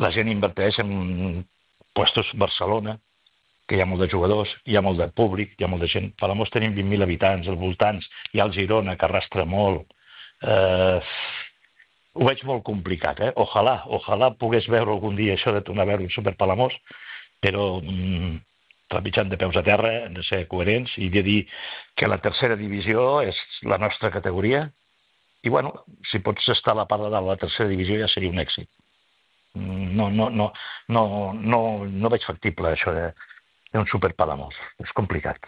La gent inverteix en puestos Barcelona, que hi ha molt de jugadors, hi ha molt de públic, hi ha molt de gent. Palamós tenim 20.000 habitants, als voltants, hi ha el Girona, que arrastra molt. Ho veig molt complicat, eh? Ojalà pogués veure algun dia això de tornar a veure un Super Palamós, però trepitjant de peus a terra, hem de ser coherents i de dir que la tercera divisió és la nostra categoria i, bueno, si pots estar a la part de dalt de la tercera divisió ja seria un èxit. No veig factible això d'un Super Palamós. És complicat.